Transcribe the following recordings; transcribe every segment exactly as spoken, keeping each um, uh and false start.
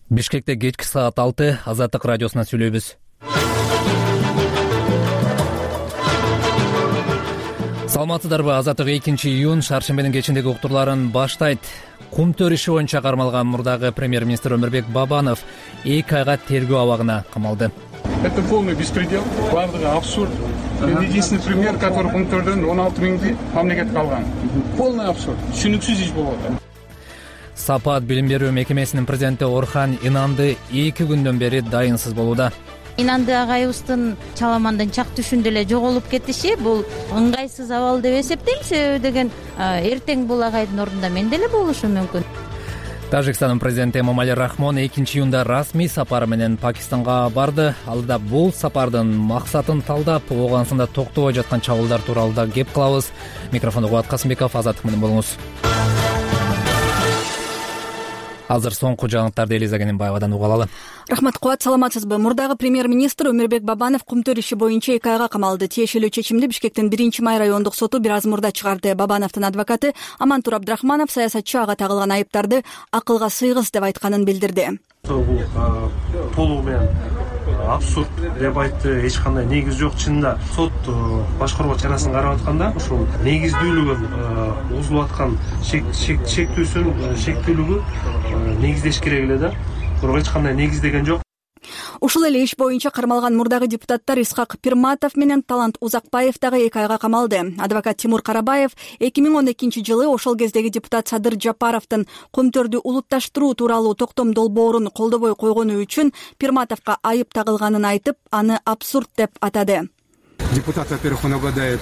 Бишкекте кечки саат алты Азаттык радиосуна сүйлөйбүз. Саламатсыздарбы? Азаттык экинчи июнь шаршембенин кечиндеги уктурларын баштайт. Кумтөр иши боюнча кармалган мурдагы премьер-министр Өмүрбек Бабанов эки айга тергөө абагына камалды. Это полный беспредел, бардыгы абсурд. Единственный пример, который Кумтөрдөн он алты миңди мамлекетке алган. Полный абсурд. Түшүнүксүз иш болуп атат. Сапат билим берүү мекемесинин президенти Орхан Инанды эки күндөн бери дайынсыз болууда. Инанды агайыбыздын чаламандын чак түшүндө эле жоголуп кетиши бул ыңгайсыз абал деп эсептейм. Себеби деген эртең бул агайдын ордунда мен деле болушум мүмкүн. Тажикстандын президенти Эмомали Рахмон экинчи июнда расмий сапары менен Пакистанга барды. Ал да бул сапардын максатын талдап, Ооганстанда токтобой жаткан чабуулдар тууралуу да кеп кылабыз. Микрофонду Кубат Касымбеков, Азаттык менен болуңуз. Азыр соңку жаңылыктарды Элиза Кененбаевадан уга алалы. Рахмат, Кубат, саламатсызбы? Мурдагы премьер-министр Өмүрбек Бабанов Кумтөр иши боюнча эки айга камалды. Тиешелүү чечимди Бишкектин биринчи май райондук соту бир аз мурда чыгарды. Бабановдун адвокаты Амантур Абдрахманов саясатчы ага тагылган айыптарды акылга сыйгыс деп айтканын билдирди. Бул толугу менен абсурд деп айтты, эч кандай негиз жок. Чынында сот башкаруу чарасын карап атканда ушул негиздүүлүгүн узулуп аткан шектүүсүн шектүүлүгү негиздеш керек эле да. Бирок эч кандай негиздеген жок. Ушул эле иш боюнча кармалган мурдагы депутаттар Исхак Пирматов менен Талант Узакбаев дагы эки айга камалды. Адвокат Тимур Карабаев эки миң он экинчи жылы ошол кездеги депутат Садыр Жапаровдун Кумтөрдү улутташтыруу тууралуу токтом долбоорун колдобой койгону үчүн Пирматовго айып тагылганын айтып, аны абсурд деп атады. Депутат, во-первых, он обладает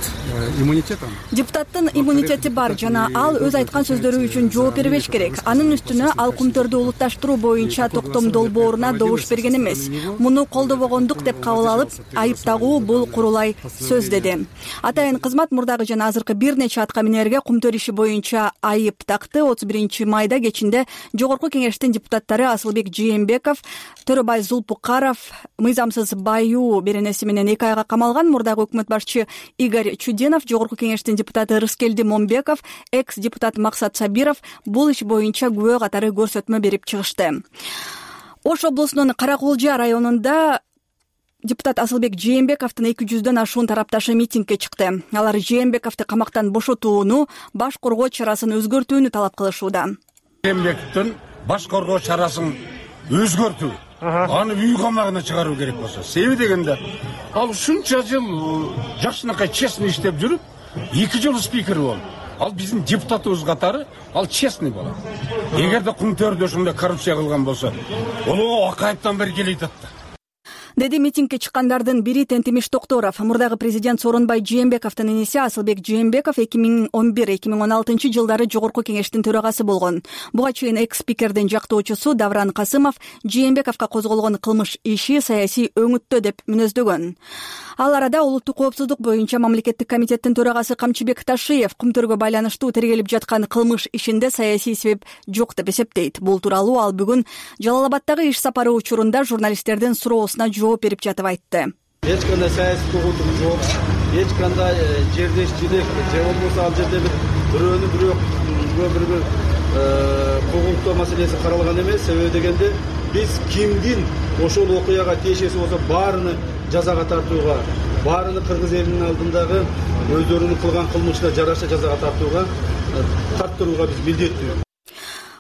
иммунитетом. Депутаттын иммунитети бар жана ал өз айткан сөздөрү үчүн жооп бербеш керек. Анын үстүнө ал Кумтөрдү улутташтыруу боюнча токтом долбооруна добуш берген эмес. Муну колдобогондук деп кабыл алып, айып тагуу бул курулай сөз деди. Атайын кызмат мурдагы жана азыркы бир нече атка минерге Кумтөр иши боюнча айып такты. отуз биринчи майда кечинде Жогорку Кеңештин депутаттары Асылбек Жээнбеков, Төрөбай Зулпукаров, мыйзамсыз баюу беренеси менен эки айга камалган. Мурдагы өкмөт башчы Игорь Чудинов, Жогорку Кеңештин депутаты Рыскелди Момбеков, экс-депутат Максат Сабиров бул иш боюнча күбө катары көрсөтмө берип чыгышты. Ош облусунун Каракулжа районунда депутат Асылбек Жээнбековдун эки жүздөн ашуун тарапташы митингге чыкты. Алар Жээнбековду камактан бошотууну, баш коргоо чарасын өзгөртүүнү талап кылышууда. Жээнбековдун баш коргоо чарасын өзгөртүү, аны үй камагына чыгаруу керек болсо. Себеби дегенде, ал ушунча жыл жакшынакай честный иштеп жүрүп, эки жыл спикер болду. Ал биздин депутатыбыз катары, ал честный болот. Эгерде Кумтөрдө ушундай коррупция кылган болсо, ол акайыптан бери келет да. Деди митингге чыккандардын бири Тентимиш Токторов. Мурдагы президент Сооронбай Жээнбековдун иниси Асылбек Жээнбеков эки миң он бир эки миң он алтынчы жылдары Жогорку Кеңештин төрагасы болгон. Буга чейин экс-спикердин жактоочусу Давран Касымов Жээнбековго козголгон кылмыш иши саясий өңүттө деп мүнөздөгөн. Ал арада улуттук коопсуздук боюнча мамлекеттик комитеттин төрагасы Камчыбек Ташиев Кумтөргө байланыштуу тергелип жаткан кылмыш ишинде саясий себеп жок деп эсептейт. Бул тууралуу ал бүгүн Жалал-Абадтагы иш сапары учурунда журналисттердин суроосуна жооп берип жатып айтты. Эч кандай саясий куугунтук жок, эч кандай жердешчилик же болбосо ал жерде бир бирөөнү бирөө бир куугунтоо маселеси каралган эмес. Себеби дегенде биз кимдин ошол окуяга тиешеси болсо баарыны жазага тартууга, баарыны кыргыз элинин алдындагы өздөрүнүн кылган кылмышына жараша жазага тартууга тарттырууга биз милдеттүү.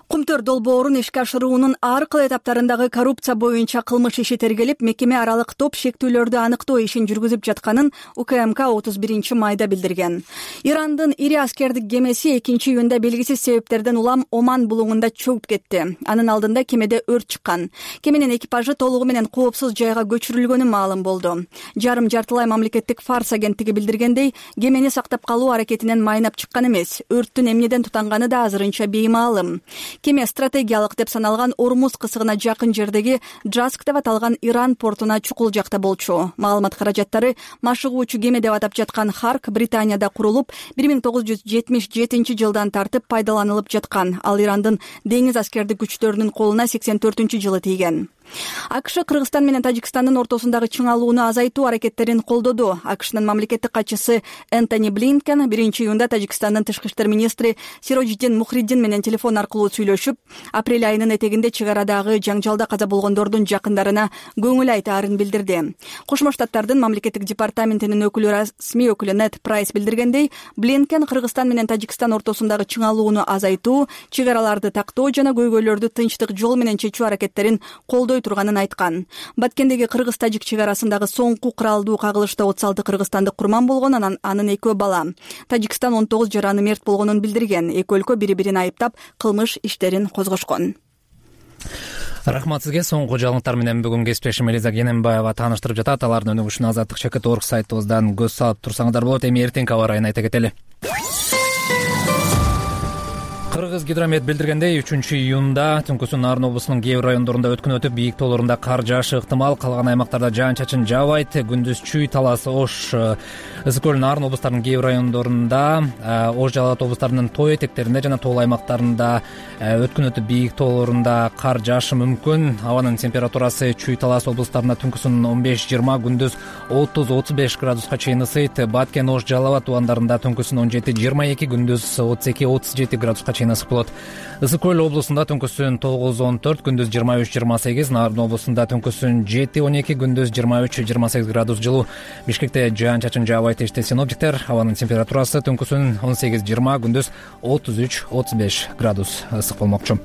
Кумтөр долбоорун ишке ашыруунун ар кыл этаптарындагы коррупция боюнча кылмыш иши тергелип, мекеме аралык топ шектүүлөрдү аныктоо ишин жүргүзүп жатканын УКМК отуз биринчи майда билдирген. Ирандын ири аскердик кемеси экинчи июнда белгисиз себептерден улам Оман булуңунда чөгүп кетти. Анын алдында кемеде өрт чыккан. Кеменин экипажы толугу менен коопсуз жайга көчүрүлгөнү маалым болду. Жарым жартылай мамлекеттик Фарс агенттиги билдиргендей, кемени сактап калуу аракетинен майнап чыккан эмес. Өрттүн эмнеден тутанганы да азырынча беймаалым. Кеме стратегиялык деп саналган Ормуз кысыгына жакын жердеги Джаск деп аталган Иран портуна чукул жакта болчу. Маалымат каражаттары машыгуучу кеме деп атап жаткан Харк Британияда курулуп, бир миң тогуз жүз жетимиш жетинчи жылдан тартып пайдаланылып жаткан. Ал Ирандын деңиз аскердик күчтөрүнүн колуна сексен төртүнчү жылы тийген. АКШ Кыргызстан менен Тажикстандын ортосундагы чыңалууну азайтуу аракеттерин колдоду. АКШнын мамлекеттик катчысы Энтони Блинкен биринчи июнда Тажикстандын тышкы иштер министри Сирожиддин Мухриддин менен телефон аркылуу сүйлөшүп, апрель айынын этегинде чек арадагы жаңжалда каза болгондордун жакындарына көңүл айтаарын билдирди. Кошмо Штаттардын мамлекеттик департаментинин өкүлү расмий өкүлү Нед Прайс билдиргендей, Блинкен Кыргызстан менен Тажикстан ортосундагы чыңалууну азайтуу, чек араларды тактоо жана көйгөйлөрдү тынчтык жол менен чечүү аракеттерин колдой турганын айткан. Баткендеги кыргыз-тажик чек арасындагы соңку кыралдуу кагылышта отуз алты кыргызстандык курман болгон, анан анын экөө бала. Тажикстан он тогуз жараны мерт болгонун билдирген. Эки өлкө бири-бирин айыптап, кылмыш иштерин козгошкон. Рахмат сизге. Соңку жаңылыктар менен бүгүн кесиптешим Элиза Кененбаева тааныштырып жатат. Алардын өнүгүшүнө азаттык чекит точка орг сайтыбыздан көз салып турсаңыздар болот. Эми эртеңки аба ырайын айта кетели. Кыргыз гидромет билдиргендей, үчүнчү июнда түнкүсүн Нарын облусунун кээ бир райондорунда өткөн өтүп, бийик тоолорунда кар жаашы ыктымал, калган аймактарда жаан-чачын жаабайт. Күндүз Чүй, Талас, Ош, Ысык көл, Нарын облустарынын кээ бир райондорунда, Ош, Жалал Абад облустарынын тоо этектеринде жана тоол аймактарында өткөн өтүп, бийик тоолорунда кар жаашы мүмкүн. Абанын температурасы Чүй, Талас облустарында түнкүсүн он беш жыйырма, күндүз отуз отуз беш градуска чейин ысыйт. Баткен, Ош, Жалал Абад тубандарында түнкүсүн он жети жыйырма эки, күндүз отуз эки отуз жети градуска чейин ысык болот. Ысык көл облусунда түнкүсүн тогуз он төрт, күндүз жыйырма үч жыйырма сегиз, Нарын облусунда түнкүсүн жети он эки, күндүз жыйырма үч жыйырма сегиз градус жылуу. Бишкекте жаан-чачын жаабайт дешти синоптиктер. Абанын температурасы түнкүсүн он сегиз жыйырма, күндүз отуз үч отуз беш градус ысык болмокчу.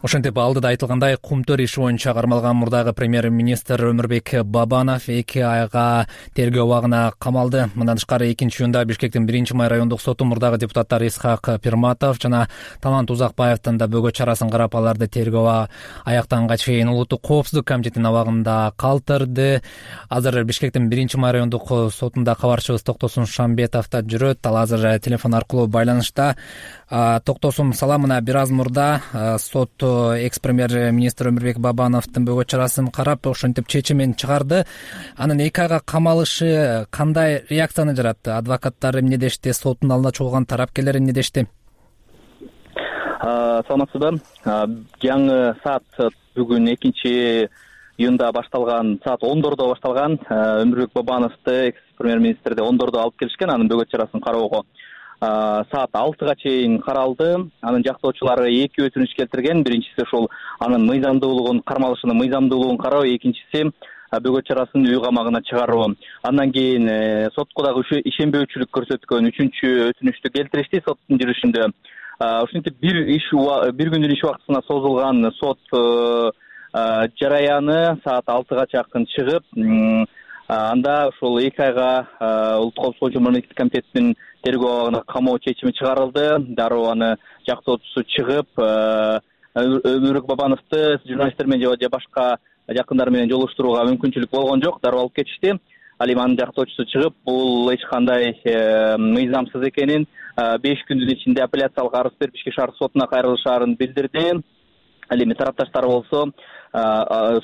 Ошентип алдыда айтылгандай, Кумтөр иши боюнча кармалган мурдагы премьер-министр Өмүрбек Бабанов эки айга тергөө абагына камалды. Мындан тышкары экинчи июнда Бишкектин биринчи май райондук соту мурдагы депутаттар Исхак Пирматов жана Талант Узакбаевдин да бөгөт чарасын карап, аларды тергөө аяктанганга чейин Улуттук коопсуздук комитетинин абагында калтырды. Азыр Бишкектин биринчи май райондук сотунда кабарчыбыз Токтосун Шамбетов да жүрөт. Ал азыр телефон аркылуу байланышта. Токтосун, салам. Мына бир аз мурда сот экс-премьер-министр Өмүрбек Бабановдун бөгөт чарасын карап, ошентип чечимин чыгарды. Анын эки айга камалышы кандай реакцияны жаратты? Адвокаттары эмне дешти? Соттун алдында чогулган тарапкерлер эмне дешти? Саламатсызбы. Жаңы саат бүгүн экинчи июнда башталган, саат ондордо башталган. Өмүрбек Бабановду экс-премьер-министрди ондордо алып келишкен, анын бөгөт чарасын кароого саат алтыга чейин каралды. Анын жактоочулары эки өтүнүч келтирген. Биринчиси ошол анын мыйзамдуулугун, кармалышынын мыйзамдуулугун кароо, экинчиси бөгөт чарасын үй камагына чыгаруу. Андан кийин сотко дагы ишенбөөчүлүк көрсөткөн үчүнчү өтүнүчтү келтиришти соттун жүрүшүндө. Ошентип бир иш бир күндүн иш убактысына созулган сот жараяны саат алтыга жакын чыгып, анда ошол эки айга Улуттук коопсуздук боюнча мамлекеттик комитеттин тергөө абагына камоо чечими чыгарылды. Дароо аны жактоочусу чыгып, Өмүрбек Бабановду журналисттер менен же башка жакындары менен жолуштурууга мүмкүнчүлүк болгон жок. Дароо алып кетишти. Ал эми анын жактоочусу чыгып, бул эч кандай мыйзамсыз экенин, беш күндүн ичинде апелляциялык арыз берип ички шаар сотуна кайрылышаарын билдирди. Ал эми тарапташтар болсо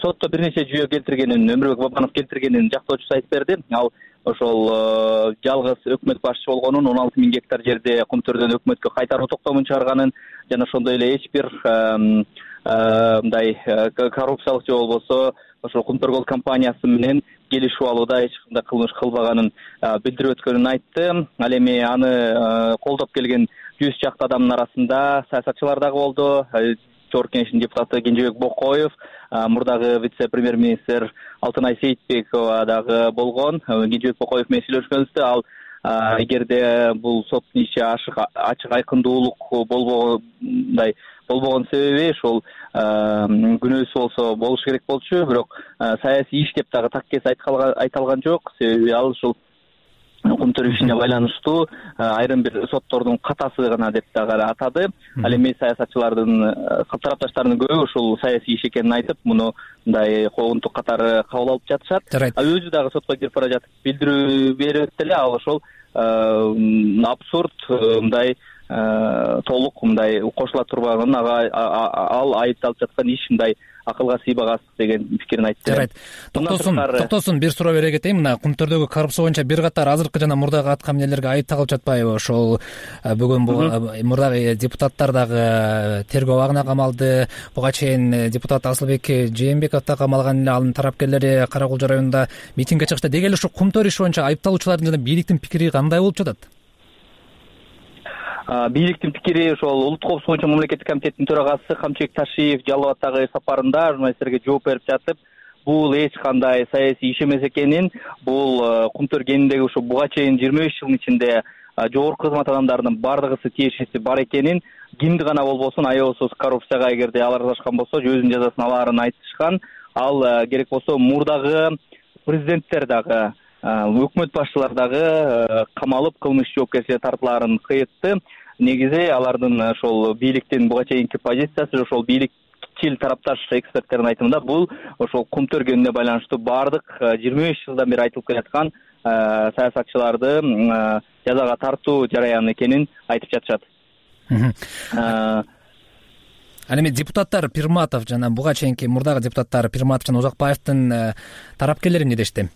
сотто бир нече жүйө келтиргенин, Өмүрбек Бабанов келтиргенин жактоочусу айтып берди. Ал ошол жалгыз өкмөт башчы болгонун, он алты миң гектар жерде Кумтөрдөн өкмөткө кайтаруу токтомун чыгарганын жана ошондой эле эч бир мындай коррупциялык же болбосо ошол Кумтөр Голд компаниясы менен келишип алууда эч кандай кылмыш кылбаганын билдирип өткөнүн айтты. Ал эми аны колдоп келген жүз чакты адамдын арасында саясатчылар дагы болду. Жогорку Кеңештин депутаты Кенжебек Бокоев, мурдагы вице-премьер-министр Алтынай Сейитбекова дагы болгон. Кенжебек Бокоев менен сүйлөшкөнбүздө, ал эгерде бул соттун иши ачык айкындуулук болбогондай болбогон себеби ошол күнөөсү болсо болуш керек болчу, бирок саясий иш деп дагы так кез айтылган жок. Себеби ал ушул Кумтөр ишине байланыштуу айрым бир соттордун катасы гана деп дагы атады. Ал эми саясатчылардын тарапташтарынын көбү ушул саясий иш экенин айтып, муну мындай коомдук катары кабыл алып жатышат. Өзү дагы сотко кирип бара жатып билдирүү берип эле, ал ошол абсурд, мындай толук мындай кошула турбаган, ага ал айыпталып жаткан иш мындай акылга сыйбагас деген пикирин айтты. Жарайт. Токтосун, токтосун бир суроо бере кетейин. Мына Кумтөрдөгү коррупция боюнча бир катар азыркы жана мурдагы атка эмнелерге айыпталып жатпайбы? Ошол бүгүн мурдагы депутаттар дагы тергөө абагына камалды. Буга чейин депутат Асылбек Жээнбеков да камалган эле. Анын тарапкерлери Кара Кулчу районунда митингге чыгышты. Деги эле ушу Кумтөр иши боюнча айыпталуучулардын жана бийликтин пикири кандай болуп жатат? Бийликтин пикири ошол Улуттук коопсуздук боюнча мамлекеттик комитеттин төрагасы Камчыбек Ташиев Жалал Абаддагы сапарында журналисттерге жооп берип жатып, бул эч кандай саясий иш эмес экенин, бул Кумтөр кениндеги ушу буга чейин жыйырма беш жылдын ичинде жогорку кызмат адамдарынын бардыгысы тиешеси бар экенин, кимди гана болбосун аябасыз коррупцияга эгерде алар аралашкан болсо өзүнүн жазасын алаарын айтышкан. Ал керек болсо мурдагы президенттер дагы, өкмөт башчылар дагы камалып кылмыш жоопкерчиликке тартылаарын кыйтты. Негизи алардын ошол бийликтин буга чейинки позициясы, ошол бийликчил тарапташ эксперттердин айтымында бул ошол Кумтөр кенине байланыштуу бардык жыйырма беш жылдан бери айтылып келаткан саясатчыларды жазага тартуу жараяны экенин айтып жатышат. Ал эми депутаттар Пирматов жана буга чейинки мурдагы депутаттар Пирматов жана Узакбаевдин тарапкерлери эмне дешти?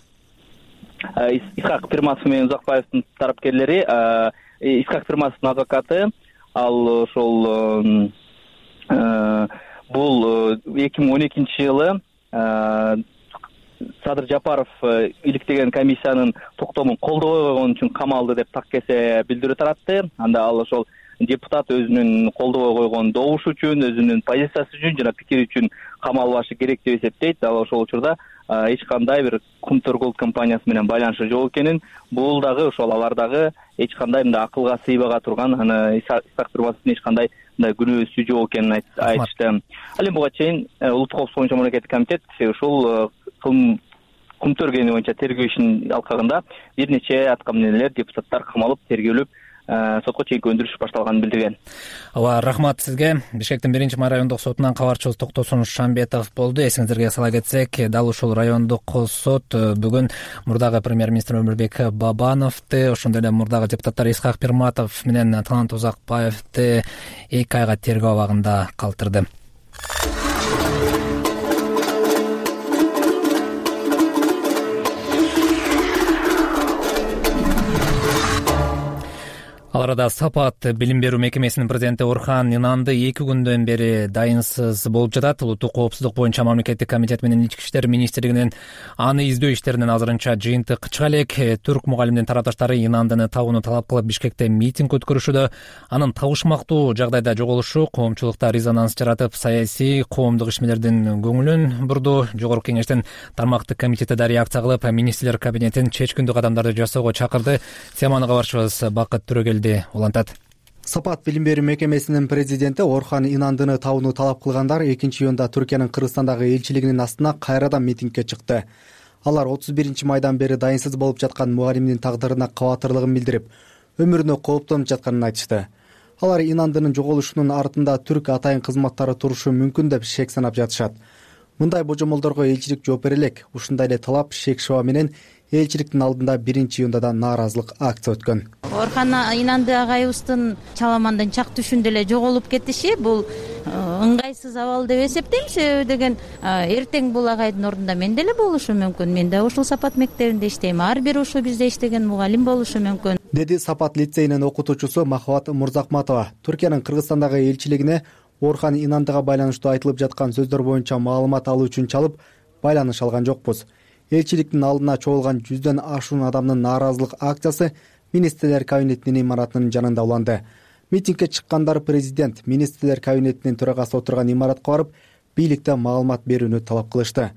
Исхак Пирматов менен Узакбаевдин тарапкерлери, Исхак Пирматовдун адвокаты, ал ошол бул эки миң он экинчи жылы Садыр Жапаров иликтеген комиссиянын токтомун колдобой койгон үчүн камалды деп так кесе билдирүү таратты. Анда ал ошол депутат өзүнүн колдобой койгон добушу үчүн, өзүнүн позициясы үчүн жана пикири үчүн камалбашы керек деп эсептейт. Ал ошол учурда эч кандай бир Кумтөр Голд компаниясы менен байланышы жок экенин, бул дагы ошол алар дагы эч кандай мындай акылга сыйбага турган, аны Исхак Пирматовдун эч кандай мындай күнөөсү жок экенин айтышты. Ал эми буга чейин Улуттук коопсуздук боюнча мамлекеттик комитет ушул Кумтөр кени боюнча тергөө ишинин алкагында бир нече атка эмнелер депутаттар камалып тергөөлүп сотко чейинки өндүрүш башталганын билдирген. Ооба, рахмат сизге. Бишкектин биринчи май райондук сотунан кабарчыбыз Токтосун Шамбетов болду. Эсиңиздерге сала кетсек, дал ушул райондук сот бүгүн мурдагы премьер-министр Өмүрбек Бабановду, ошондой эле мурдагы депутаттар Исхак Пирматов менен Талант Узакбаевди эки айга тергөө абагында калтырды. Ал арада Сапат билим берүү мекемесинин президенти Орхан Инанды эки күндөн бери дайынсыз болуп жатат. Улуттук коопсуздук боюнча мамлекеттик комитет менен Ички иштер министрлигинин аны издөө иштеринен азырынча жыйынтык чыга элек. Түрк мугалимдин тарапташтары Инандыны табууну талап кылып Бишкекте митинг өткөрүшүүдө. Анын табышмактуу жагдайда жоголушу коомчулукта резонанс жаратып, саясий коомдук ишмерлердин көңүлүн бурду. Жогорку кеңештин тармактык комитети да реакция кылып, министрлер кабинетин чечкиндүү кадамдарды жасоого чакырды. Теманы кабарчыбыз Бакыт Төрөгелди улантат. Сапат билим берүү мекемесинин президенти Орхан Инандыны табууну талап кылгандар экинчи июнда Түркиянын Кыргызстандагы элчилигинин астына кайрадан митингге чыкты. Алар отуз биринчи майдан бери дайынсыз болуп жаткан мугалимдин тагдырына кабатырлыгын билдирип, өмүрүнө кооптонуп жатканын айтышты. Алар Инандынын жоголушунун артында түрк атайын кызматтары турушу мүмкүн деп шек санап жатышат. Мындай божомолдорго элчилик жооп бере элек. Ушундай эле талап, шек шаба менен элчиликтин алдында биринчи июнда да нааразылык акция өткөн. Орхан Инанды агайыбыздын чаламандын чак түшүндө эле жоголуп кетиши бул ыңгайсыз абал деп эсептейм. Себеби деген эртең бул агайдын ордунда мен деле болушу мүмкүн. Мен да ушул Сапат мектебинде иштейм. Ар бир ушул бизде иштеген мугалим болушу мүмкүн, деди Сапат лицейинин окутуучусу Махабат Мурзакматова. Түркиянын Кыргызстандагы элчилигине Орхан Инандыга байланыштуу айтылып жаткан сөздөр боюнча маалымат алуу үчүн чалып, байланыш алган жокпуз. Элчиликтин алдына чогулган жүздөн ашуун адамдын нааразылык акциясы министрлер кабинетинин имаратынын жанында уланды. Митингге чыккандар президент, министрлер кабинетинин төрагасы отурган имаратка барып, бийликте маалымат берүүнү талап кылышты.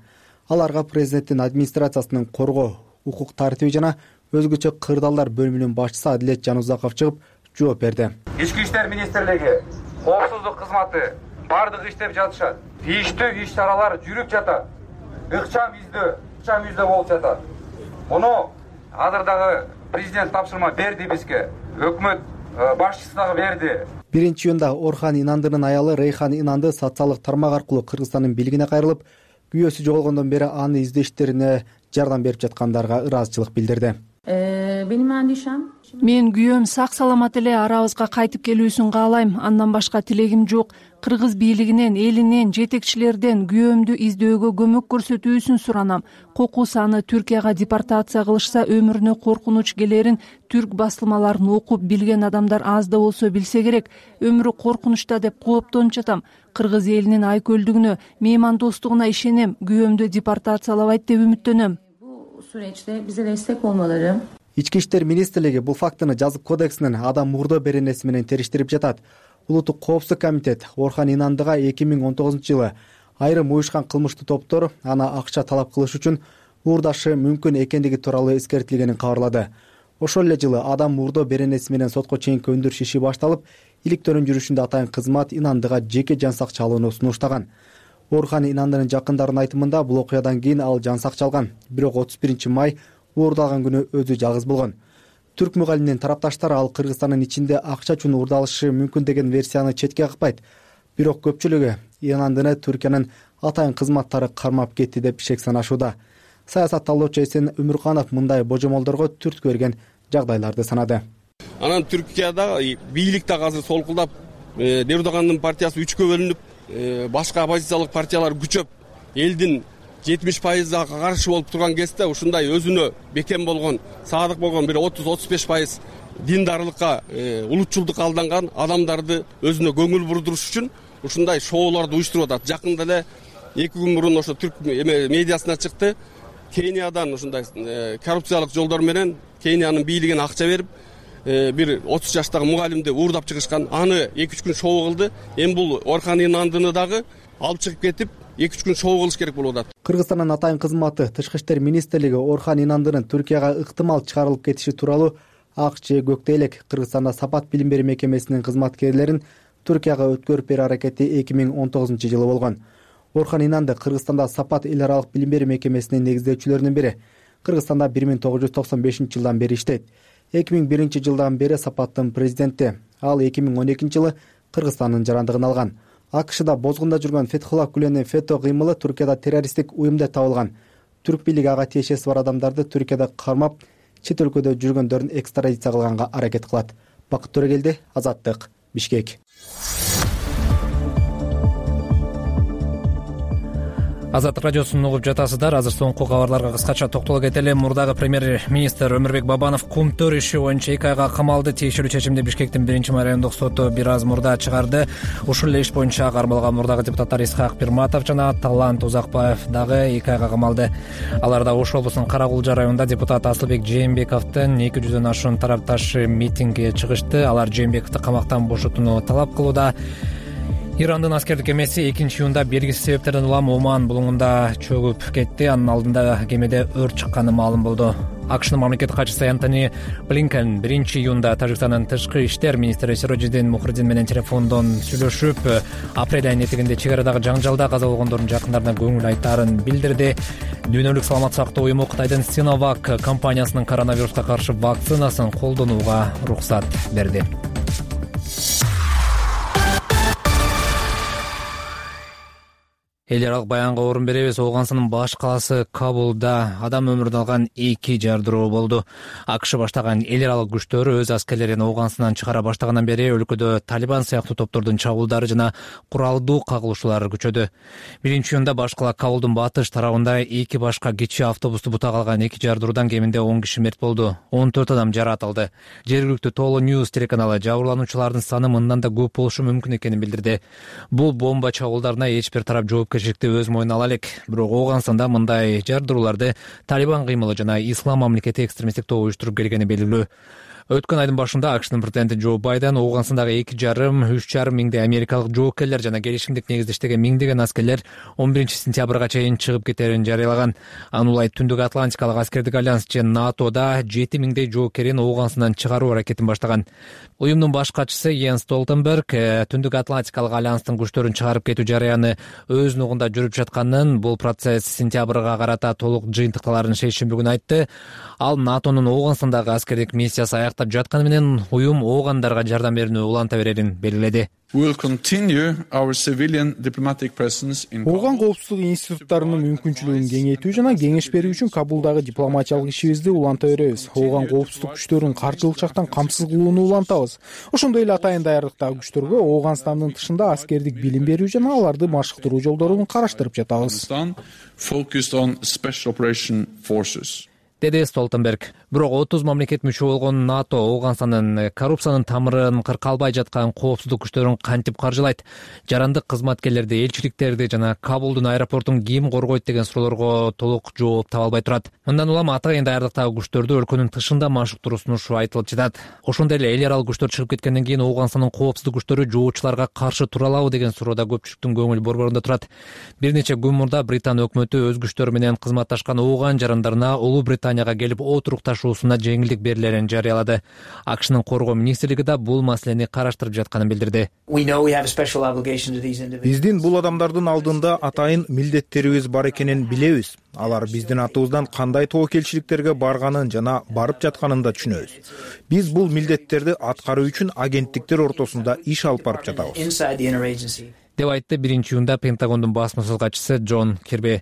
Аларга президенттин администрациясынын коргоо, укук тартиби жана өзгөчө кырдаалдар бөлүмүнүн башчысы Адилет Жанузаков чыгып жооп берди. Ички иштер министрлиги, коопсуздук кызматы бардыгы иштеп жатышат. Тийиштүү иш-чаралар жүрүп жатат. Ыкчам издөө, ыкчам издөө болуп жатат. Муну азыр дагы президент тапшырма берди бизге. Өкмөт башчысы дагы берди. биринчи июнда Орхан Инандынын аялы Рейхан Инанды социалдык тармак аркылуу Кыргызстандын бийлигине кайрылып, күйөөсү жоголгондон бери аны издештерине жардам берип жаткандарга ыраазычылык билдирди. Мен күйөөм сак саламат эле арабызга кайтып келүүсүн каалайм. Андан башка тилегим жок. Кыргыз бийлигинен, элинен, жетекчилерден күйөөмдү издөөгө көмөк көрсөтүүсүн суранам. Кокус аны Түркияга депортация кылышса өмүрүнө коркунуч келерин түрк басылмаларын окуп билген адамдар аз да болсо билсе керек. Өмүрү коркунучта деп кооптонуп жатам. Кыргыз элинин айкөлдүгүнө, меймандостугуна ишенем. Күйөөмдү депортациялабайт деп үмүттөнөм. Bu süreçte bize destek olmaları. Ички иштер министрлиги бул фактыны жазык кодексинин адам мурдоо беренеси менен териштирип жатат. Улуттук коопсуздук комитет Орхан Инандыга эки миң он тогузунчу жылы айрым уюшкан кылмыштуу топтор аны акча талап кылыш үчүн уурдашы мүмкүн экендиги тууралуу эскертилгенин кабарлады. Ошол эле жылы адам мурдоо беренеси менен сотко чейинки өндүрүш иши башталып, иликтөөнүн жүрүшүндө атайын кызмат Инандыга жеке жан сакчы алууну сунуштаган. Орхан Инандынын жакындарынын айтымында бул окуядан кийин ал жан сакчы алган. Бирок отуз биринчи май уурдалган күнү өзү жалгыз болгон. Түрк мугалимдин тарапташтары ал Кыргызстандын ичинде акча үчүн уурдалышы мүмкүн деген версияны четке какпайт. Бирок көпчүлүгү Инандыны Түркиянын атайын кызматтары кармап кетти деп шек санашууда. Саясатталуучу Эсен Өмүрканов мындай божомолдорго түрткү берген жагдайларды санады. Анан Түркияда бийлик дагы азыр солкулдап, Эрдогандын партиясы үчкө бөлүнүп, башка оппозициялык партиялар күчөп, элдин жетимиш пайызга каршы болуп турган кезде ушундай өзүнө бекем болгон, садык болгон бир отуз отуз беш пайыз диндарлыкка, улутчулдукка алданган адамдарды өзүнө көңүл бурдуруш үчүн ушундай шоуларды уюштуруп атат. Жакында эле эки күн мурун ошо түрк медиасына чыкты. Кениядан ушундай коррупциялык жолдор менен Кениянын бийлигине акча берип, бир отуз жаштагы мугалимди уурдап чыгышкан. Аны эки үч күн шоу кылды. Эми бул Орхан Инандыны дагы алып чыгып кетип, эки үч күн шоу кылыш керек болуп атат. Кыргызстандын атайын кызматы Тышкы иштер министрлиги Орхан Инандынын Түркияга ыктымал чыгарылып кетиши тууралуу ак же көктей элек Кыргызстанда Сапат билим берүү мекемесинин кызматкерлерин Түркияга өткөрүп берүү аракети эки миң он тогузунчу жылы болгон. Орхан Инанды Кыргызстанда Сапат эл аралык билим берүү мекемесинин негиздөөчүлөрүнүн бири. Кыргызстанда бир миң тогуз жүз токсон бешинчи жылдан бери иштейт. эки миң биринчи жылдан бери Сапаттын президенти. Ал эки миң он экинчи жылы Кыргызстандын жарандыгын алган. АКШда бозгунда жүргөн Фетхулла Гүленин фето кыймылы Түркияда террористтик уюм деп табылган. Түрк бийлиги ага тиешеси бар адамдарды Түркияда кармап, чет өлкөдө жүргөндөрүн экстрадиция кылганга аракет кылат. Бакыт Төрөгелди, Азаттык, Бишкек. Азаттык радиосун угуп жатасыздар. Азыр соңку кабарларга кыскача токтоло кетели. Мурдагы премьер-министр Өмүрбек Бабанов Кумтөр иши боюнча эки айга камалды. Тиешелүү чечимди Бишкектин биринчи райондук соту бир аз мурда чыгарды. Ушул эле иш боюнча кармалган мурдагы депутаттар Исхак Пирматов жана Талант Узакбаев дагы эки айга камалды. Алар да Ош облусунун Каракулжа районунда депутат Асылбек Жээнбековдун эки жүздөн ашуун тарапташы митингге чыгышты. Алар Жээнбековду камактан бошотууну талап кылууда. Ирандын аскердик кемеси экинчи июнда белгисиз себептерден улам Оман булуңунда чөгүп кетти. Анын алдында кемеде өрт чыкканы маалым болду. АКШнын мамлекеттик катчысы Энтони Блинкен биринчи июнда Тажикстандын тышкы иштер министри Сирожидин Мухридин менен телефондон сүйлөшүп, апрель айынын этегинде чек арадагы жаңжалда каза болгондордун жакындарына көңүл айтаарын билдирди. Дүйнөлүк саламаттык сактоо уюму Кытайдын Синовак компаниясынын коронавируска каршы вакцинасын колдонууга уруксат берди. Эл аралык баянга орун беребиз. Ооганстандын баш калаасы Кабулда адам өмүрүн алган эки жардыруу болду. АКШ баштаган эл аралык күчтөр өз аскерлерин Ооганстандан чыгара баштагандан бери өлкөдө Талибан сыяктуу топтордун чабуулдары жана куралдуу кагылышуулар күчөдү. Биринчи июнда баш кала Кабулдун батыш тарабында эки башка кичи автобусту бутага алган эки жардыруудан кеминде он киши мерт болду. он төрт адам жаратылды. Жергиликтүү Толо Ньюс телеканалы жабырлануучулардын саны мындан да көп болушу мүмкүн экенин билдирди. Бул бомба чабуулдарына эч бир тарап жооп өз мойнуна ала элек. Бирок Ооганстанда мындай жардырууларды Талибан кыймылы жана Ислам мамлекети экстремисттик тобу уюштуруп келгени белгилүү. Өткөн айдын башында АКШнын президенти Джо Байден Ооганстандагы эки жарым үч жарым миңдей америкалык жоокерлер жана келишимдик негизде иштеген миңдеген аскерлер он биринчи сентябрга чейин чыгып кетерин жарыялаган. Анын Түндүк Атлантикалык аскердик альянс же НАТОда жети миңдей жоокерин Ооганстандан чыгаруу аракетин баштаган. Уюмдун баш катчысы Йенс Столтенберг Түндүк Атлантикалык альянстын күчтөрүн чыгарып кетүү жарыяны өз нугунда жүрүп жатканын, бул процесс сентябрга карата толук жыйынтыкталарын шейшемби күнү айтты. Ал НАТОнун Ооганстандагы аскердик миссиясы сактап жатканы менен уюм оогандарга жардам берүүнү уланта берерин белгиледи. Ооган коопсуздук институттарынын мүмкүнчүлүгүн кеңейтүү жана кеңеш берүү үчүн Кабулдагы дипломатиялык ишибизди уланта беребиз. Ооган коопсуздук күчтөрүн каржылык жактан камсыз кылууну улантабыз. Ошондой эле атайын даярдыктагы күчтөргө Ооганстандын тышында аскердик билим берүү жана аларды машыктыруу жолдорун караштырып жатабыз, деди Столтенберг. Бирок отуз мамлекет мүчө болгон НАТО Ооганстандын коррупциянын тамырын кыркалбай жаткан коопсуздук күчтөрүн кантип каржылайт, жарандык кызматкерлерди, элчиликтерди жана Кабулдун аэропортун ким коргойт деген суроолорго толук жооп таба албай турат. Мындан улам атайын даярдыктагы күчтөрдү өлкөнүн тышында машыктыруу сунушу айтылып жатат. Ошондой эле эл аралык күчтөр чыгып кеткенден кийин Ооганстандын коопсуздук күчтөрү жоочуларга каршы тура алабы деген суроодо көпчүлүктүн көңүл борборунда турат. Бир нече күн мурда Британ өкмөтү өз күчтөрү менен кызматташкан Ооган жарандарына Улуу Британияга келип отурукташуусуна жеңилдик берилерин жарыялады. АКШнын коргоо министрлиги да бул маселени караштырып жатканын билдирди. Биздин бул адамдардын алдында атайын милдеттерибиз бар экенин билебиз. Алар биздин атыбыздан кандай тобокелчиликтерге барганын жана барып жатканын да түшүнөбүз. Биз бул милдеттерди аткаруу үчүн агенттиктер ортосунда иш алып барып жатабыз, деп айтты биринчи июнда Пентагондун басма катчысы Джон Кирби.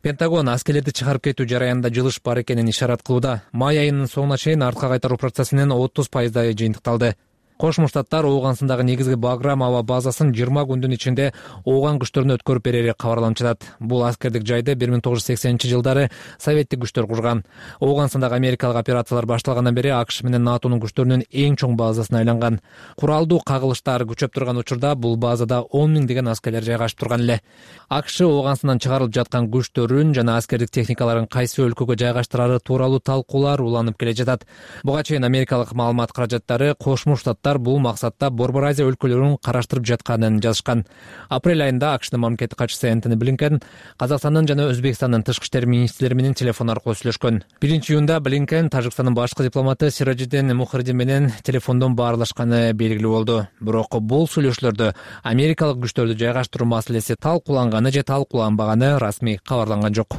Пентагон аскерлерди чыгарып кетүү жараянында жылыш бар экенин ишарат кылууда. Май айынын соңуна чейин артка кайтаруу процессинин отуз пайыздай жыйынтыкталды. Кошмо Штаттар Ооганстандагы негизги Баграм аба базасын жыйырма күндүн ичинде Ооган күчтөрүнө өткөрүп берери кабарланып жатат. Бул аскердик жайды бир миң тогуз жүз сексенинчи жылдары советтик күчтөр курган. Ооганстандагы америкалык операциялар башталгандан бери АКШ менен НАТОнун күчтөрүнүн эң чоң базасына айланган. Куралдуу кагылыштар күчөп турган учурда бул базада он миңдеген аскерлер жайгашып турган эле. АКШ Ооганстандан чыгарылып жаткан күчтөрүн жана аскердик техникаларын кайсы өлкөгө жайгаштырары тууралуу талкуулар уланып келе жатат. Буга чейин америкалык маалымат каражаттары Кошмо Штаттар бул максатта Борбор Азия өлкөлөрүн караштырып жатканын жазышкан. Апрель айында АКШнын мамлекеттик катчысы Энтони Блинкен Казакстандын жана Өзбекстандын тышкы иштер министрлери менен телефон аркылуу сүйлөшкөн. биринчи июнда Блинкен Тажикстандын башкы дипломаты Сиражиддин Мухридин менен телефондон баарлашканы белгилүү болду. Бирок бул сүйлөшүүлөрдө америкалык күчтөрдү жайгаштыруу маселеси талкууланганы же талкууланбаганы расмий кабарланган жок.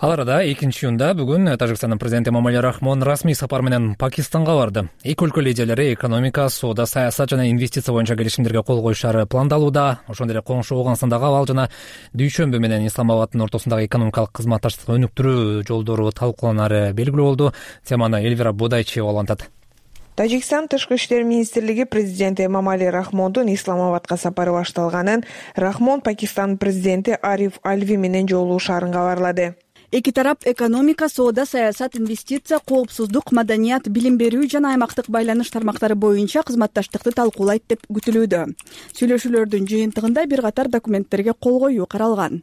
Ал арада экинчи июнда бүгүн Тажикстандын президенти Эмомали Рахмон расмий сапар менен Пакистанга барды. Эки өлкө лидерлери экономика, соода, саясат жана инвестиция боюнча келишимдерге кол коюшары пландалууда. Ошондой эле коңшу Ооганстандагы абал жана Дүйшөмбү менен Исламабаддын ортосундагы экономикалык кызматташтыкты өнүктүрүү жолдору талкууланары белгилүү болду. Теманы Эльвира Бодайчиева улантат. Тажикстан тышкы иштер министрлиги президенти Эмомали Рахмондун Исламабадка сапары башталганын, Рахмон Пакистандын президенти Ариф Альви менен жолугушаарын кабарлады. Эки тарап экономика, соода, саясат, инвестиция, коопсуздук, маданият, билим берүү жана аймактык байланыш тармактары боюнча кызматташтыкты талкуулайт деп күтүлүүдө. Сүйлөшүүлөрдүн жыйынтыгында бир катар документтерге кол коюу каралган,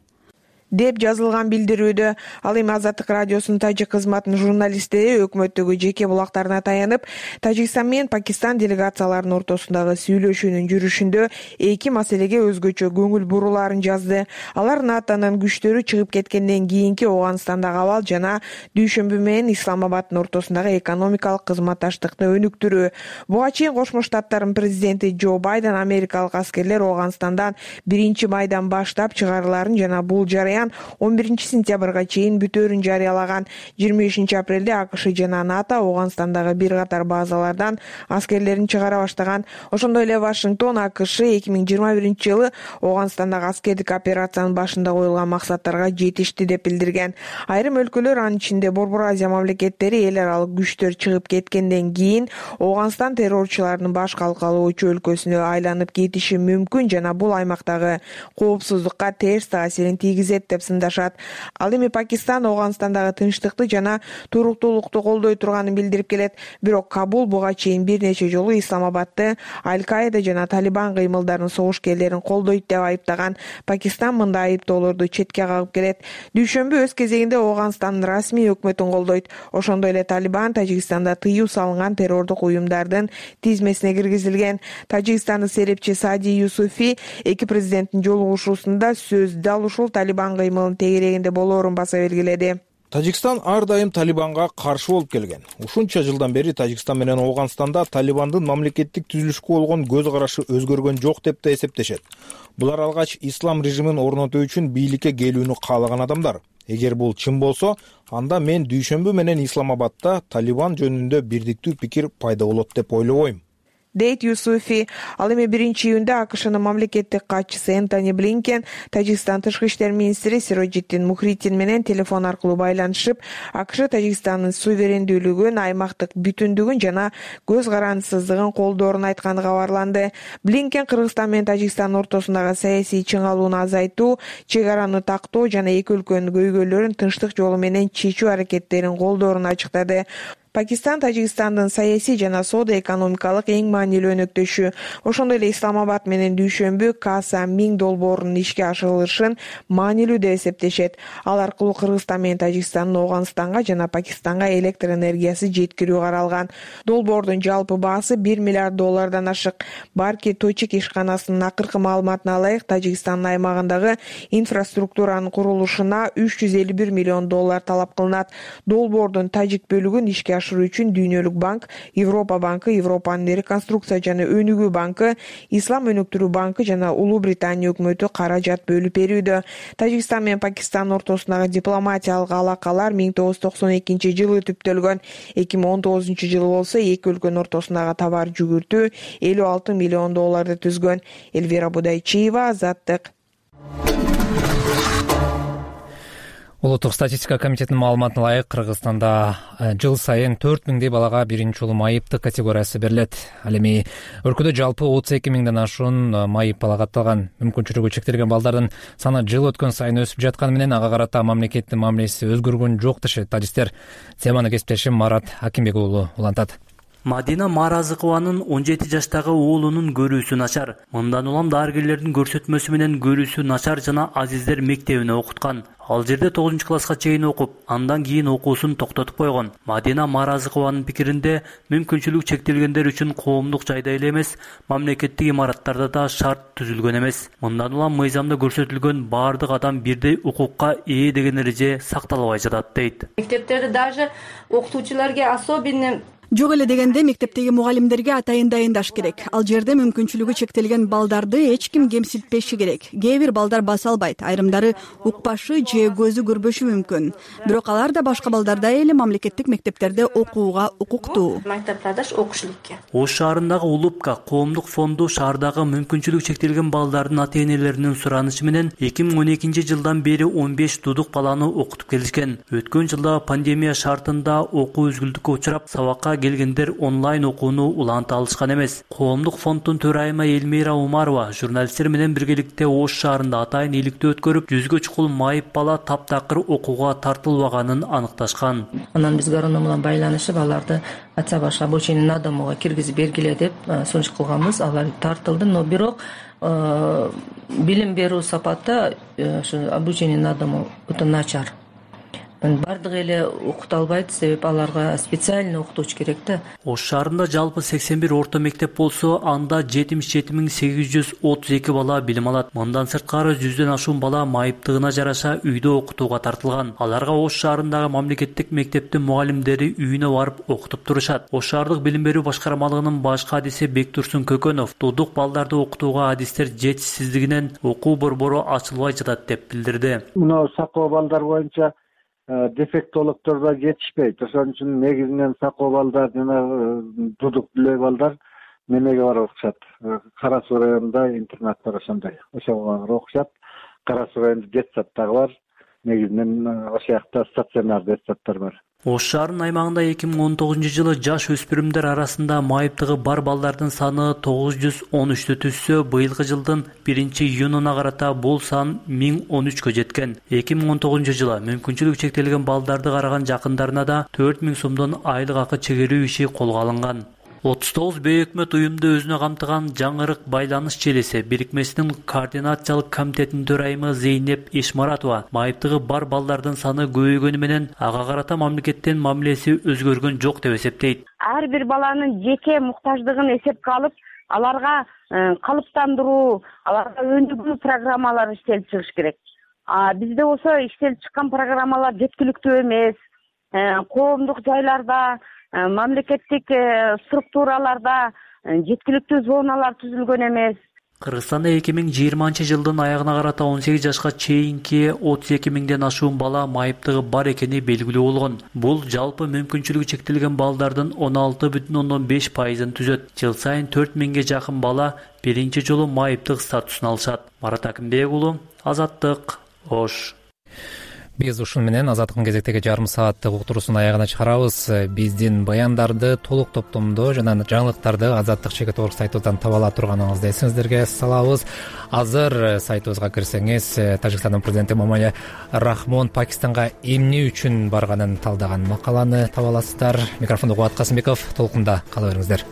деп жазылган билдирүүдө. Ал эми Азаттык радиосунун тажик кызматынын журналисттери өкмөттөгү жеке булактарына таянып, Тажикстан менен Пакистан делегацияларынын ортосундагы сүйлөшүүнүн жүрүшүндө эки маселеге өзгөчө көңүл бурулаарын жазды. Алар НАТОнун күчтөрү чыгып кеткенден кийинки Ооганстандагы абал жана Дүйшөмбү менен Исламабаддын ортосундагы экономикалык кызматташтыкты өнүктүрүү. Буга чейин Кошмо Штаттардын президенти Джо Байден америкалык аскерлер Ооганстандан биринчи майдан баштап чыгарыларын жана бул жарыян он биринчи сентябрга чейин бүтөөрүн жарыялаган. жыйырма бешинчи апрелде АКШ жана НАТО Ооганстандагы бир катар базалардан аскерлерин чыгара баштаган. Ошондой эле Вашингтон АКШ эки миң жыйырма биринчи жылы Ооганстандагы аскердик операциянын башында коюлган максаттарга жетишти деп билдирген. Айрым өлкөлөр, анын ичинде Борбор Азия мамлекеттери эл аралык күчтөр чыгып кеткенден кийин Ооганстан террорчулардын баш калкалоочу өлкөсүнө айланып кетиши мүмкүн жана бул аймактагы коопсуздукка терс таасирин тийгизет деп сындашат. Ал эми Пакистан Ооганстандагы тынчтыкты жана туруктуулукту колдой турганын билдирип келет. Бирок Кабул буга чейин бир нече жолу Исламабадты Аль-Каида жана Талибан кыймылдарынын согушкерлерин колдойт деп айыптаган. Пакистан мындай айыптоолорду четке кагып келет. Дүйшөмбү өз кезегинде Ооганстандын расмий өкмөтүн колдойт. Ошондой эле Талибан Тажикстанда тыюу салынган террордук уюмдардын тизмесине киргизилген. Тажикстандын серепчи Сади Юсуфи эки президенттин жолугушуусунда сөз дал ушул Талибан кыймылын тегерегинде болоорун баса белгиледи. Тажикстан ар дайым Талибанга каршы болуп келген. Ушунча жылдан бери Тажикстан менен Ооганстанда Талибандын мамлекеттик түзүлүшкө болгон көз карашы өзгөргөн жок деп да эсептешет. Булар алгач ислам режимин орнотуу үчүн бийликке келүүнү каалаган адамдар. Эгер бул чын болсо, анда мен дүйшөмбү менен Исламабадда Талибан жөнүндө бирдиктүү пикир пайда болот деп ойлобойм. дейт Юсуфи. Ал эми биринчи июнда АКШнын мамлекеттик катчысы Энтони Блинкен Тажикстан тышкы иштер министри Сироджиддин Мухридин менен телефон аркылуу байланышып, АКШ Тажикстандын суверендүүлүгүн, аймактык бүтүндүгүн жана көз карандысыздыгын колдоорун айтканы кабарланды. Блинкен Кыргызстан менен Тажикстан ортосундагы саясий чыңалууну азайтуу, чек араны тактоо жана эки өлкөнүн көйгөйлөрүн тынчтык жолу менен чечүү аракеттерин колдоорун ачыктады. Пакистан Тажикстандын саясий жана соода-экономикалык эң маанилүү өнөктөшү. Ошондой эле Исламабад менен дүйшөмбү Каса Миң долбоорунун ишке ашырылышын маанилүү деп эсептешет. Ал аркылуу Кыргызстан менен Тажикстандын Ооганстанга жана Пакистанга электр энергиясы жеткирүү каралган. Долбоордун жалпы баасы бир миллиард доллардан ашык. Барки Точек ишканасынын акыркы маалыматына ылайык, Тажикстандын аймагындагы инфраструктуранын курулушуна үч жүз элүү бир миллион доллар талап кылынат. Долбоордун тажик бөлүгүн ишке ашыруу үчүн Дүйнөлүк банк, Европа банкы, Европанын реконструкция жана өнүгүү банкы, Ислам өнүктүрүү банкы жана Улуу Британия өкмөтү каражат бөлүп берүүдө. Тажикстан менен Пакистан ортосундагы дипломатиялык алакалар миң тогуз жүз токсон экинчи жылы түптөлгөн. эки миң он тогузунчу жылы болсо эки өлкөнүн ортосундагы товар жүгүртүү элүү алты миллион долларды түзгөн. Элвира Будайчиева, Азаттык. Улуттук статистика комитетинин маалыматына ылайык, Кыргызстанда жыл сайын төрт миңдей балага биринчи жолу майыптык категориясы берилет. Ал эми өлкөдө жалпы отуз эки миңден ашуун майып бала катталган. Мүмкүнчүлүгү чектелген балдардын саны жыл өткөн сайын өсүп жатканы менен ага карата мамлекеттин мамилеси өзгөргөн жок дешет адистер. Теманы кесиптешим Марат Акимбек уулу улантат. Мадина Маразыкованын он жети жаштагы уулунун көрүүсү начар. Мындан улам дарыгерлердин көрсөтмөсү менен көрүүсү начар жана Азиздер мектебине окуткан. Ал жерде тогузунчу класска чейин окуп, андан кийин окуусун токтотуп койгон. Мадина Маразыкованын пикиринде, мүмкүнчүлүгү чектелгендер үчүн коомдук жайда эле эмес, мамлекеттик имараттарда да шарт түзүлгөн эмес. Мындан улам мыйзамда көрсөтүлгөн баардык адам бирдей укукка ээ деген эреже сакталбай жатат дейт. Мектептерде даже окутуучуларга особенно Жок эле дегенде мектептеги мугалимдерге атайын дайындаш керек. Ал жерде мүмкүнчүлүгү чектелген балдарды эч ким кемсинтпеши керек. Кээ бир балдар баса албайт, айрымдары укпашы же көзү көрбөшү мүмкүн. Бирок алар да башка балдардай эле мамлекеттик мектептерде окууга укуктуу. Ош шаарындагы Улупка коомдук фонду шаардагы мүмкүнчүлүгү чектелген балдардын ата-энелеринин суранышы менен эки миң он экинчи жылдан бери он беш дудук баланы окутуп келишкен. Өткөн жылда пандемия шартында окуу үзгүлтүккө учурап, сабакка келгендер онлайн окууну уланта алышкан эмес. Коомдук фонддун төрайымы Элмира Умарова журналисттер менен биргеликте Ош шаарында атайын иликтөө өткөрүп, жүзгө чукул майып бала таптакыр окууга тартылбаганын аныкташкан. Анан биз гароном менен байланышып, аларды атса баш обучение на домого киргизип бергиле деп сунуш кылганбыз. Алар тартылды, но бирок билим берүү сапаты ошо обучение на дому өтө начар. Бардыгы эле окута албайт, себеп аларга специальный окутуучу керек да. Ош шаарында жалпы сексен бир орто мектеп болсо, анда жетимиш жети миң сегиз жүз отуз эки бала билим алат. Мындан сырткары жүздөн ашуун бала майыптыгына жараша үйдө окутууга тартылган. Аларга Ош шаарындагы мамлекеттик мектептин мугалимдери үйүнө барып окутуп турушат. Ош шаардык билим берүү башкармалыгынын башкы адиси Бектурсун Көкөнов дудук балдарды окутууга адистер жетишсиздигинен окуу борбору ачылбай жатат деп билдирди. Мына сакоо балдар боюнча дефектологдор да жетишпейт. Ошон үчүн негизинен сакоо балдар жана дудук биле балдар немеге барып окушат. Кара Суу районунда интернат бар ошондой. Ошого окушат. Кара Суу районунда детсадтагы бар. Негизинен ошол жакта стационар детсадтар бар. Ош шаарынын аймагында эки миң он тогузунчу жылы жаш өспүрүмдөр арасында майыптыгы бар балдардын саны тогуз жүз он үчтү түзсө, быйылкы жылдын биринчи июнуна карата бул сан миң он үчкө жеткен. эки миң он тогузунчу жылы мүмкүнчүлүгү чектелген балдарды караган жакындарына да төрт миң сомдон айлык акы чегерүү иши колго алынган. отуз тогуз бейөкмөт уюмду өзүнө камтыган Жаңырык байланыш желиси бирикмесинин координациялык комитетинин төрайымы Зейнеп Ишмаратова майыптыгы бар балдардын саны көбөйгөнү менен ага карата мамлекеттин мамилеси өзгөргөн жок деп эсептейт. Ар бир баланын жеке муктаждыгын эсепке алып, аларга калыптандыруу, аларга өнүгүү программалары иштелип чыгыш керек. а бизде болсо иштелип чыккан программалар жеткиликтүү эмес. Коомдук жайларда, мамлекеттик структураларда жеткиликтүү зоналар түзүлгөн эмес. Кыргызстанда эки миң жыйырманчы жылдын аягына карата он сегиз жашка чейинки отуз эки миңден ашуун бала майыптыгы бар экени белгилүү болгон. Бул жалпы мүмкүнчүлүгү чектелген балдардын он алты бүтүн ондон беш пайызын түзөт. Жыл сайын төрт миңге жакын бала биринчи жолу майыптык статусун алышат. Марат Акимбек уулу, Азаттык, Ош. Биз ушун менен Азаттыктын кезектеги жарым сааттык уктуруусун аягына чыгарабыз. Биздин баяндарды толук топтомдо жана жаңылыктарды Азаттык чекит орг сайтыбыздан таба ала турганыңызды эсиңиздерге салабыз. Азыр сайтыбызга кирсеңиз, Тажикстандын президенти Эмомали Рахмон Пакистанга эмне үчүн барганын талдаган макаланы таба аласыздар. Микрофондо Кубат Касымбеков, толкунда кала бериңиздер.